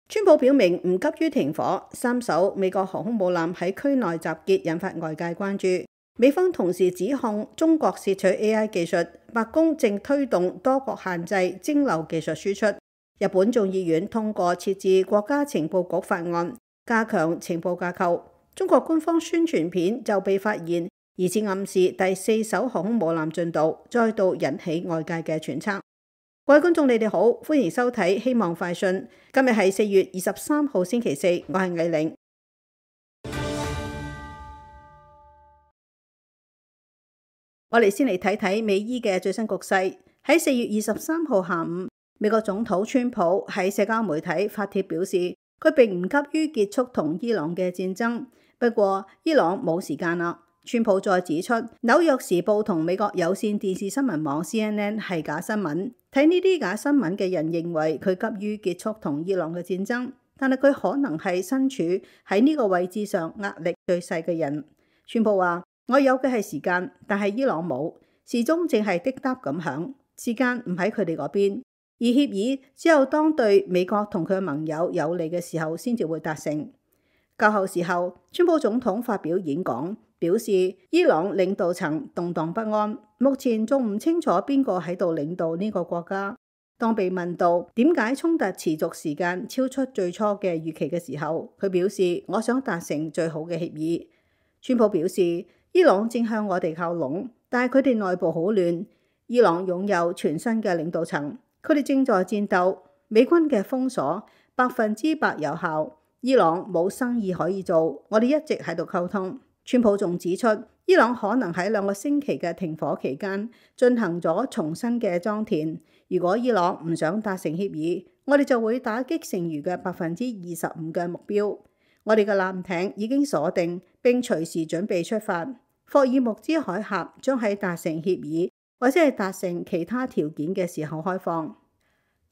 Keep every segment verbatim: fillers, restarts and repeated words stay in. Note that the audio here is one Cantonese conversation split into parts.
川普表明唔急於停火，三艘美國航空母艦喺區內集結，引發外界關注。美方同時指控中國竊取 A I 技術，白宮正推動多國限制蒸餾技術輸出。日本眾議院通過設置國家情報局法案，加強情報架構。中國官方宣傳片就被發現疑似暗示第四艘航空母艦進度，再度引起外界嘅揣測。各位觀眾，你哋好，歡迎收睇希望快訊。今日係四月二十三號星期四，我係藝玲。我哋先嚟睇睇美伊嘅最新局勢。喺四月二十三號下午，美國總統川普喺社交媒體發帖表示，佢並唔急於結束同伊朗嘅戰爭。不過，伊朗冇時間啦。川普再指出，紐約時報同美國有線電視新聞網 C N N 係假新聞。睇呢啲假新聞嘅人認為佢急於結束同伊朗嘅戰爭，但係佢可能係身處喺呢個位置上壓力最細嘅人。川普話：我有嘅係時間，但係伊朗冇，時鐘正係滴答咁響，時間唔喺佢哋嗰邊。而協議只有當對美國同佢嘅盟友有利嘅時候先至會達成。較後時候，川普總統發表演講，表示伊朗領導層動盪不安，目前仲唔清楚邊個喺度領導呢個國家。當被問到點解衝突持續時間超出最初嘅預期嘅時候，佢表示：我想達成最好嘅協議。川普表示，伊朗正向我哋靠攏，但係佢哋內部好亂。伊朗擁有全新嘅領導層，佢哋正在戰鬥。美軍嘅封鎖百分之百有效。伊朗冇生意可以做，我哋一直喺度溝通。川普仲指出，伊朗可能喺兩個星期嘅停火期間進行咗重新嘅裝填。如果伊朗唔想達成協議，我哋就會打擊剩餘嘅百分之二十五嘅目標。我哋嘅艦艇已經鎖定並隨時準備出發。霍爾木茲海峽將喺達成協議或者係達成其他條件嘅時候開放。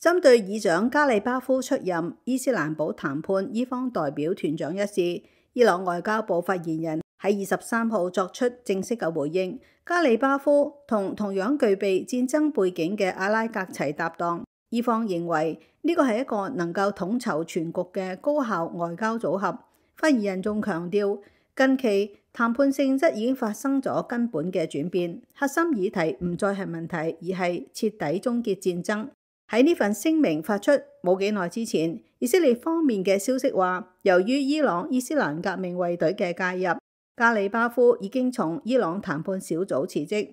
針對議長加里巴夫出任伊斯蘭堡談判伊方代表團長一事，伊朗外交部發言人喺二十三號作出正式嘅回應。加里巴夫同同樣具備戰爭背景嘅阿拉格齊搭檔，伊方認為呢個係一個能夠統籌全局嘅高效外交組合。發言人仲強調，近期談判性質已經發生咗根本嘅轉變，核心議題唔再係問題，而係徹底終結戰爭。喺呢份聲明發出冇幾耐之前，以色列方面嘅消息話，由於伊朗伊斯蘭革命衛隊嘅介入，加里巴夫已經從伊朗談判小組辭職。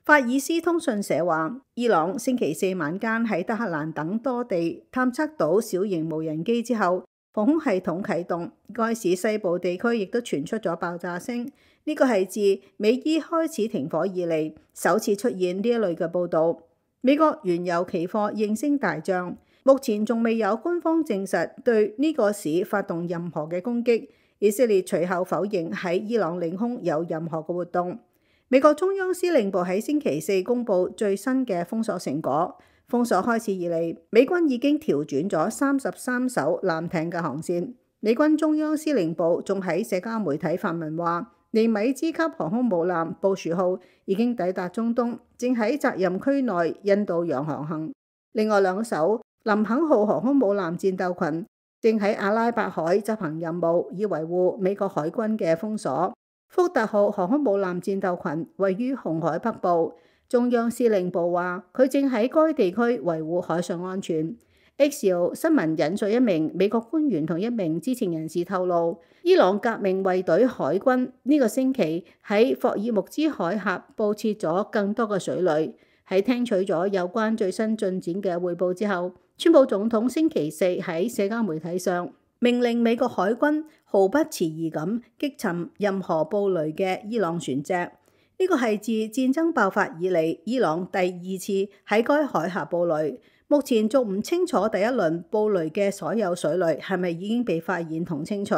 法爾斯通訊社話，伊朗星期四晚間喺德黑蘭等多地探測到小型無人機之後，防空系統啟動，該市西部地區亦都傳出咗爆炸聲。呢個係自美伊開始停火以嚟首次出現呢一類嘅報導。美國原油期貨應聲大漲，目前仲未有官方證實對呢個市發動任何嘅攻擊。以色列隨後否認喺伊朗領空有任何嘅活動。美國中央司令部喺星期四公布最新嘅封鎖成果，封鎖開始以嚟，美軍已經調轉咗三十三艘艦艇嘅航線。美軍中央司令部仲喺社交媒體發文話，尼米茲級航空母艦布殊號已經抵達中東，正喺責任區內印度洋航行。另外兩艘林肯號航空母艦戰鬥群正喺阿拉伯海執行任務，以維護美國海軍嘅封鎖。福特號航空母艦戰鬥群位於紅海北部，中央司令部話佢正喺該地區維護海上安全。Axios 新聞引述一名美國官員同一名知情人士透露，伊朗革命衛隊海軍呢個星期喺霍爾木茲海峽佈設咗更多嘅水雷。喺聽取咗有關最新進展嘅彙報之後，川普總統星期四喺社交媒體上命令美國海軍毫不遲疑咁擊沉任何布雷嘅伊朗船隻。呢個係自戰爭爆發以嚟伊朗第二次喺該海峽布雷。目前仲唔清楚第一輪布雷嘅所有水雷係咪已經被發現同清除。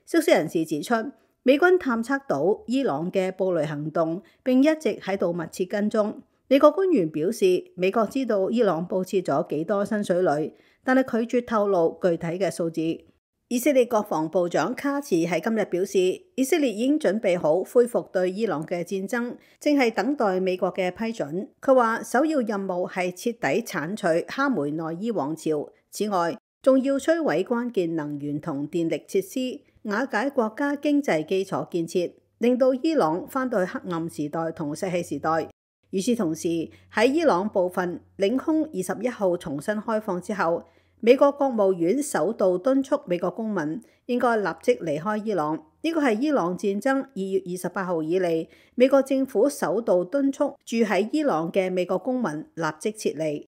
消息人士指出，美軍探測到伊朗嘅布雷行動，並一直喺度密切跟蹤。美國官員表示，美國知道伊朗佈設咗幾多新水雷，但係拒絕透露具體嘅數字。以色列國防部長卡茨喺今日表示，以色列已經準備好恢復對伊朗嘅戰爭，正係等待美國嘅批准。佢話首要任務係徹底剷除哈梅內伊王朝。此外，仲要摧毀關鍵能源同電力設施，瓦解國家經濟基礎建設，令到伊朗返到去黑暗時代同石器時代。與此同時，喺伊朗部分領空二十一號重新開放之後，美國國務院首度敦促美國公民應該立即離開伊朗。呢個係伊朗戰爭二月二十八號以嚟，美國政府首度敦促住喺伊朗嘅美國公民立即撤離。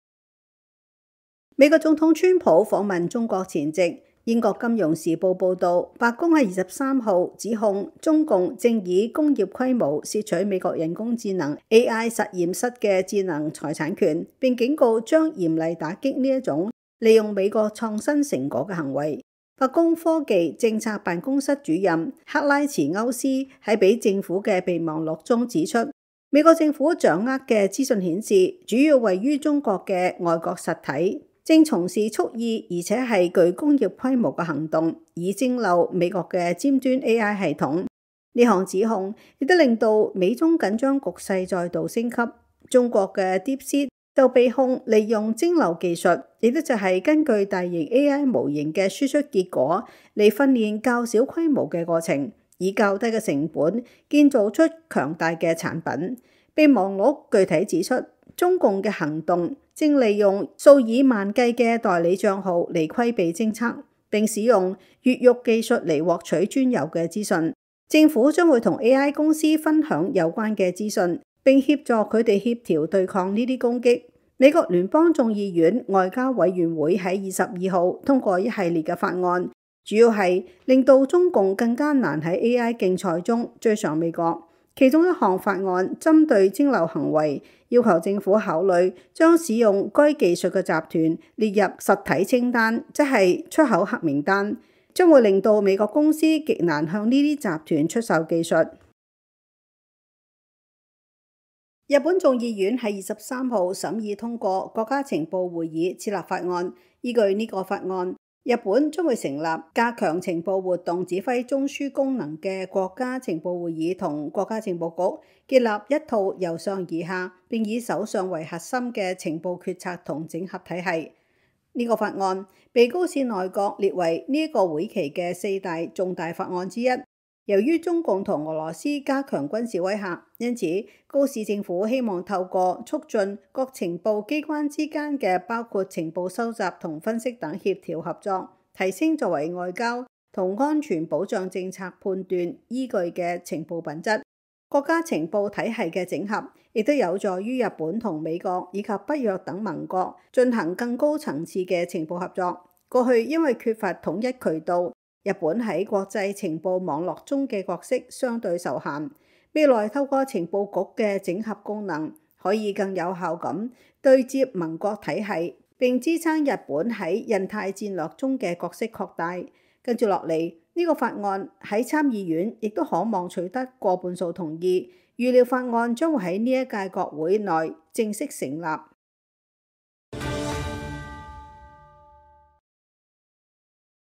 美國總統川普訪問中國前夕，英國金融時報報導，白宮喺二十三號指控中共正以工業規模竊取美國人工智能 A I 實驗室嘅智能財產權，並警告將嚴厲打擊呢一種利用美國創新成果嘅行為。白宮科技政策辦公室主任克拉茨歐斯喺俾政府嘅備忘錄中指出，美國政府掌握嘅資訊顯示，主要位於中國嘅外國實體正從事蓄意而且係具工業規模嘅行動，以蒸餾美國嘅尖端 A I 系統。呢項指控亦都令到美中緊張局勢再度升級。中國嘅 DeepSeek就被控利用蒸餾技術，亦都就係根據大型 A I 模型嘅輸出結果嚟訓練較小規模嘅過程，以較低嘅成本建造出強大嘅產品。備忘錄具體指出，中共嘅行動正利用數以萬計嘅代理帳號嚟規避偵測，並使用越獄技術嚟獲取專有嘅資訊。政府將會同 A I 公司分享有關嘅資訊，並協助佢哋協調對抗呢啲攻擊。美國聯邦眾議院外交委員會喺二十二號通過一系列嘅法案，主要係令到中共更加難喺 A I 競賽中追上美國。其中一項法案針對蒸餾行為，要求政府考慮將使用該技術嘅集團列入實體清單，即係出口黑名單，將會令到美國公司極難向呢啲集團出售技術。日本眾議院喺二十三號審議通過國家情報會議設立法案，依據呢個法案，日本將會成立加強情報活動指揮中樞功能嘅國家情報會議同國家情報局，建立一套由上而下並以首相為核心嘅情報決策同整合體系。呢、這個法案被高市內閣列為呢一個會期嘅四大重大法案之一。由於中共同俄羅斯加強軍事威嚇，因此高市政府希望透過促進各情報機關之間嘅包括情報收集同分析等協調合作，提升作為外交同安全保障政策判斷依據嘅情報品質。國家情報體系嘅整合亦都有助於日本同美國以及北約等盟國進行更高層次嘅情報合作。過去因為缺乏統一渠道，日本喺國際情報網絡中嘅角色相對受限。未來透過情報局嘅整合功能，可以更有效咁對接盟國體系，並支撐日本喺印太戰略中嘅角色擴大。跟住落嚟，呢個法案喺參議院亦都可望取得過半數同意，預料法案將會喺呢一屆國會內正式成立。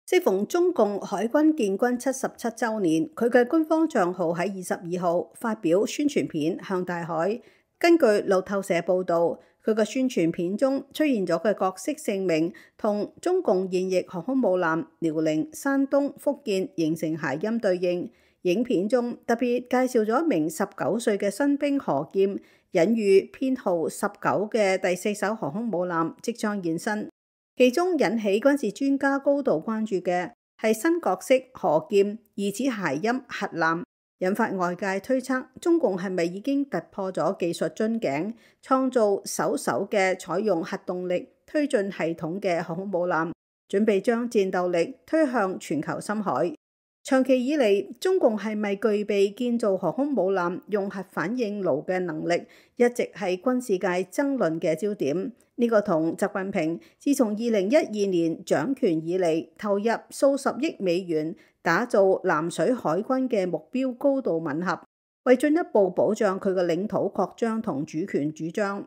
適逢中共海軍建軍七十七週年，佢嘅官方帳號喺二十二號發表宣傳片向大海。根據路透社報導，佢嘅宣傳片中出現咗嘅角色姓名同中共現役航空母艦遼寧、山東、福建形成諧音對應。影片中特別介紹咗一名十九歲嘅新兵何劍，隱喻編號十九嘅第四艘航空母艦即將現身。其中引起軍事專家高度關注嘅係新角色何劍疑似諧音核艦，引發外界推測中共係咪已經突破咗技術樽頸，創造首艘嘅採用核動力推進系統嘅航空母艦，準備將戰鬥力推向全球深海。長期以嚟，中共係咪具備建造航空母艦用核反應爐嘅能力，一直係軍事界爭論嘅焦點。呢、這個同習近平自從二零一二年掌權以嚟，投入數十億美元打造南水海軍嘅目標高度吻合，為進一步保障佢嘅領土擴張同主權主張。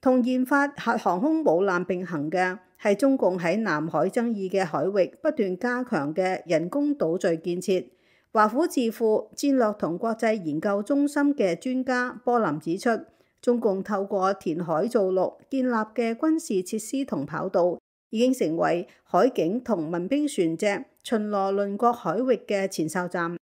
同研發核航空母艦並行嘅係中共喺南海爭議嘅海域不斷加強嘅人工島嶼建設。華府智庫戰略同國際研究中心嘅專家波林指出，中共透過填海造陸建立嘅軍事設施同跑道，已經成為海警同民兵船隻巡邏鄰國海域嘅前哨站。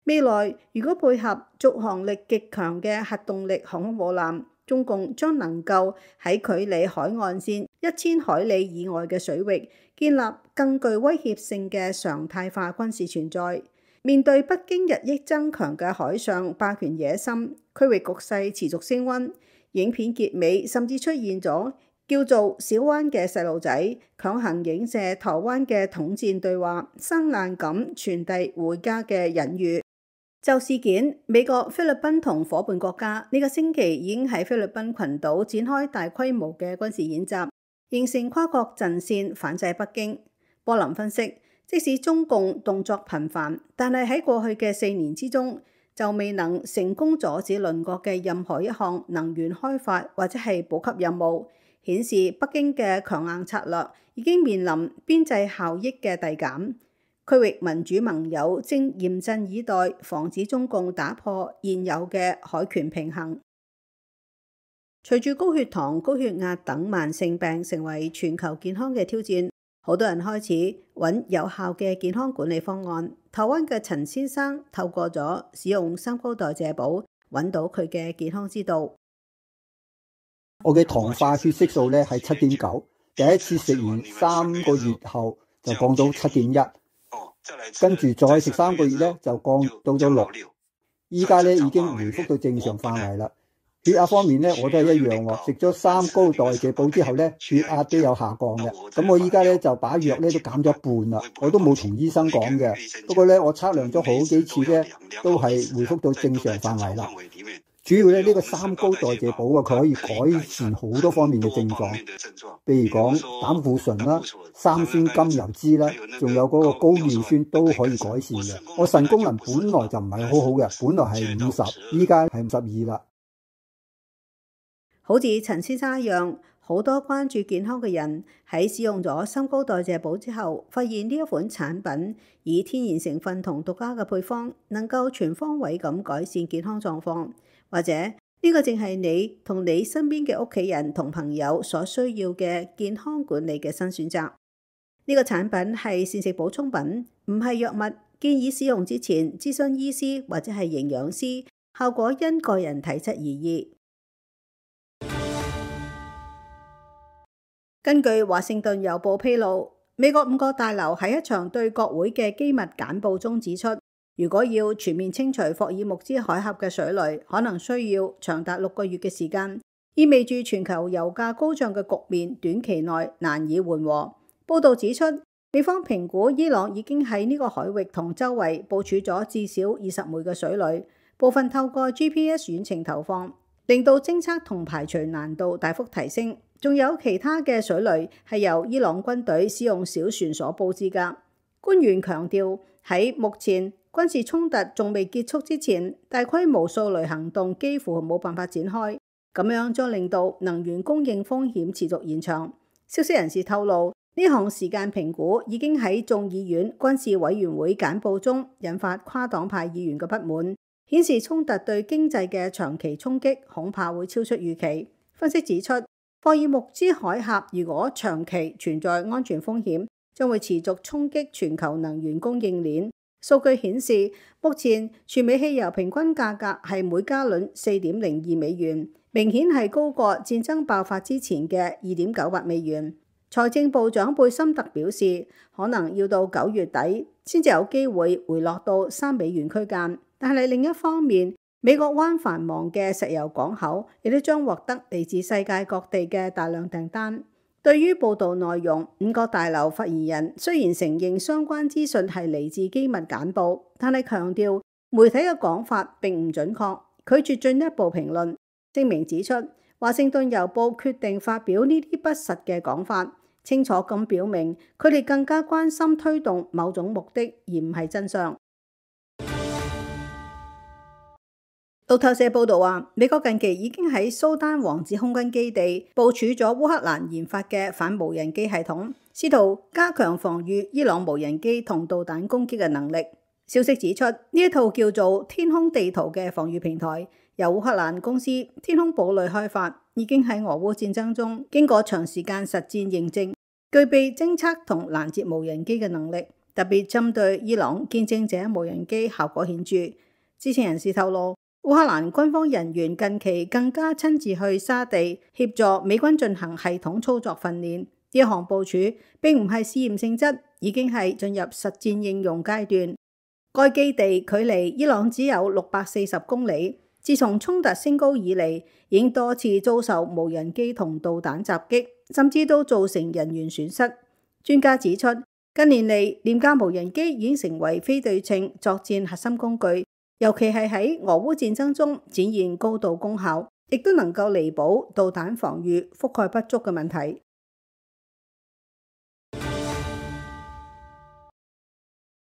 未來如果配合續航力極強嘅核動力航空母艦，中共將能夠喺距離海岸線一千海里以外嘅水域建立更具威脅性嘅常態化軍事存在。面對北京日益增強嘅海上霸權野心，區域局勢持續升溫。影片結尾甚至出現咗叫做小灣嘅細路仔強行影射台灣嘅統戰對話，生硬咁傳遞回家嘅隱喻。就事件，美國、菲律賓同夥伴國家呢個星期已經喺菲律賓群島展開大規模嘅軍事演習，形成跨國陣線反制北京。波林分析，即使中共動作頻繁，但係喺過去嘅四年之中，就未能成功阻止鄰國嘅任何一項能源開發或者係補給任務，顯示北京嘅強硬策略已經面臨邊際效益嘅遞減。區域民主盟友正嚴陣以待，防止中共打破現有嘅海權平衡。隨住高血糖、高血壓等慢性病成為全球健康嘅挑戰，好多人開始揾有效嘅健康管理方案。台灣嘅陳先生透過咗使用三高代謝寶，揾到佢嘅健康之道。我嘅糖化血色素咧係七點九，第一次食完三個月後就降到七點一。跟住再食三個月咧，就降到咗六。依家咧已經回復到正常範圍啦。血壓方面咧，我都係一樣喎。食咗三高代謝寶之後咧，血壓都有下降嘅。咁我依家咧就把藥咧都減咗一半啦。我都冇同醫生講嘅。不過咧，我測量咗好幾次咧，都係回復到正常範圍啦。主要咧呢個三高代謝寶啊，佢可以改善好多方面嘅症狀，譬如講膽固醇啦、三酸甘油酯啦，仲有嗰個高尿酸都可以改善嘅。我腎功能本來就唔係好好嘅，本來係五十，依家係五十二啦。好似陳先生一樣，好多關注健康嘅人喺使用咗三高代謝寶之後，發現呢一款產品以天然成分同獨家嘅配方，能夠全方位咁改善健康狀況。或者呢個正係你同你身邊嘅屋企人同朋友所需要嘅健康管理嘅新選擇。呢個產品係膳食補充品，唔係藥物，建議使用之前諮詢醫師或者係營養師，效果因個人體質而異。根據華盛頓郵報披露，美國五角大樓喺一場對國會嘅機密簡報中指出，如果要全面清除霍爾木茲海峽嘅水雷，可能需要長達六個月嘅時間，意味住全球油價高漲嘅局面短期內難以緩和。報道指出，美方評估伊朗已經喺呢個海域同周圍部署咗至少二十枚嘅水雷，部分透過 G P S 遠程投放，令到偵測同排除難度大幅提升。仲有其他嘅水雷係由伊朗軍隊使用小船所佈置㗎。官員強調，喺目前軍事衝突仲未結束之前，大規模掃雷行動幾乎冇辦法展開，咁樣將令到能源供應風險持續延長。消息人士透露，呢項時間評估已經喺眾議院軍事委員會簡報中引發跨黨派議員嘅不滿，顯示衝突對經濟嘅長期衝擊恐怕會超出預期。分析指出，霍爾木茲海峽如果長期存在安全風險，將會持續衝擊全球能源供應鏈。數據顯示，目前全美汽油平均價格係每加侖四點零二美元，明顯係高過戰爭爆發之前嘅二點九八美元。財政部長貝森特表示，可能要到九月底先至有機會回落到三美元區間。但係另一方面，美國灣繁忙嘅石油港口亦都將獲得嚟自世界各地嘅大量訂單。對於報道內容，五角大樓發言人雖然承認相關資訊係嚟自機密簡報，但係強調媒體嘅講法並唔準確，拒絕進一步評論。聲明指出，華盛頓郵報決定發表呢啲不實嘅講法，清楚咁表明佢哋更加關心推動某種目的，而唔係真相。路透社報道話，美國近期已經喺蘇丹王子空軍基地部署咗烏克蘭研發嘅反無人機系統，試圖加強防禦伊朗無人機同導彈攻擊嘅能力。消息指出，呢一套叫做天空地圖嘅防禦平台，由烏克蘭公司天空堡壘開發，已經喺俄烏戰爭中經過長時間實戰認證，具備偵測同攔截無人機嘅能力，特別針對伊朗見證者無人機效果顯著。知情人士透露，烏克蘭軍方人員近期更加親自去沙地協助美軍進行系統操作訓練。呢一項部署並唔係試驗性質，已經係進入實戰應用階段。該基地距離伊朗只有六百四十公里。自從衝突升高以嚟，已經多次遭受無人機同導彈襲擊，甚至都造成人員損失。專家指出，近年嚟廉價無人機已經成為非對稱作戰核心工具，尤其係喺俄烏戰爭中展現高度功效，亦都能夠彌補導彈防禦覆蓋不足嘅問題。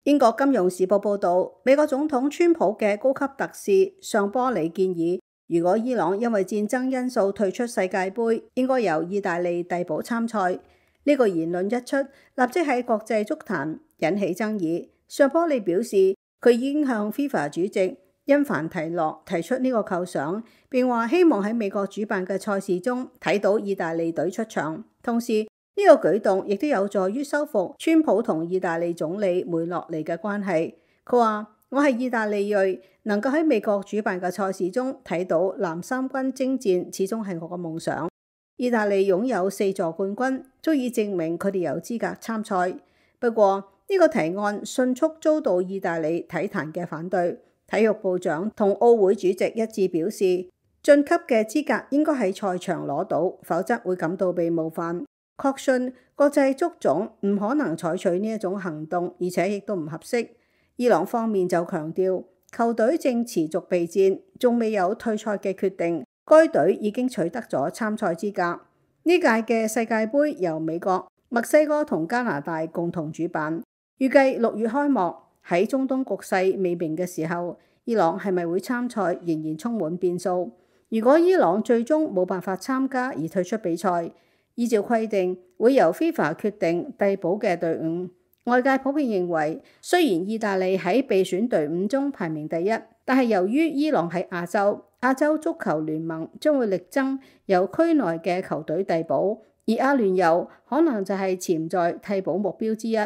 英國金融時報報導，美國總統川普嘅高級特使尚波里建議，如果伊朗因為戰爭因素退出世界盃，應該由意大利遞補參賽。呢個言論一出，立即喺國際足壇引起爭議。尚波里表示，佢已經向 FIFA 主席因凡提諾提出呢個構想，並話希望喺美國主辦嘅賽事中睇到意大利隊出場。同時，呢個舉動亦都有助於修復川普同意大利總理梅洛尼嘅關係。佢話：我係意大利裔，能夠喺美國主辦嘅賽事中睇到藍衫軍征戰，始終係我嘅夢想。意大利擁有四座冠軍，足以證明佢哋有資格參賽。不過呢個提案迅速遭到意大利體壇嘅反對。體育部長同奧會主席一致表示，晉級嘅資格應該喺賽場攞到，否則會感到被冒犯。確信國際足總唔可能採取呢一種行動，而且亦都唔合適。伊朗方面就強調，球隊正持續備戰，仲未有退賽嘅決定。該隊已經取得咗參賽資格。呢屆嘅世界盃由美國、墨西哥同加拿大共同主辦，預計六月開幕。喺中東局勢未明嘅時候，伊朗係咪會參賽仍然充滿變數。如果伊朗最終冇辦法參加而退出比賽，依照規定會由 FIFA 決定遞補嘅隊伍。外界普遍認為，雖然意大利喺備選隊伍中排名第一，但係由於伊朗喺亞洲，亞洲足球聯盟將會力爭由區內嘅球隊遞補，而阿聯酋可能就係潛在替補目標之一。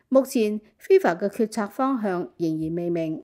目前 FIFA 嘅決策方向仍然未明。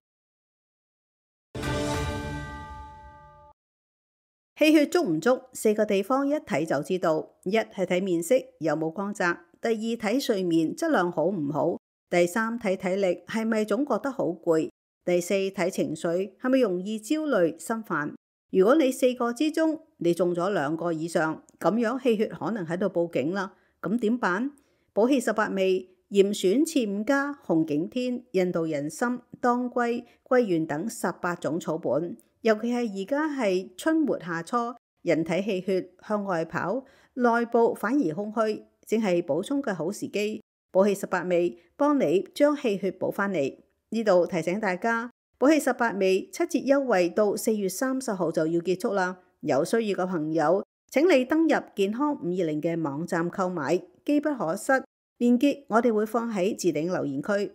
氣血足唔足，四個地方一睇就知道。一係睇面色有冇光澤，第二睇睡眠質量好唔好，第三睇體力係咪總覺得好攰，第四睇情緒係咪容易焦慮心煩。如果你四個之中你中咗兩個以上，咁樣氣血可能喺度報警啦。咁點辦？補氣十八味、嚴選次五加、紅景天、印度人參、當歸、桂圓等十八種草本。尤其係而家係春末夏初，人體氣血向外跑，內部反而空虛，正係補充嘅好時機。補氣十八味幫你將氣血補翻嚟。呢度提醒大家，補氣十八味七折優惠到四月三十號就要結束啦。有需要嘅朋友，請你登入健康五二零嘅網站購買，機不可失。鏈接我哋會放喺置頂留言區。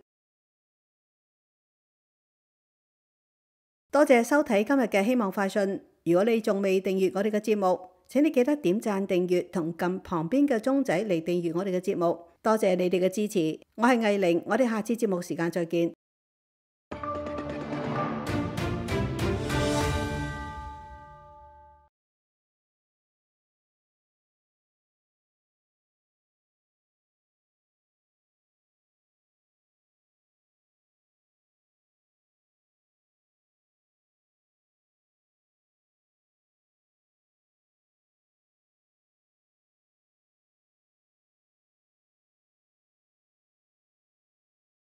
多謝收睇今日嘅希望快訊。如果你仲未訂閱我哋嘅節目，請你記得點讚訂閱同撳旁邊嘅鐘仔嚟訂閱我哋嘅節目。多謝你哋嘅支持。我係藝玲，我哋下次節目時間再見。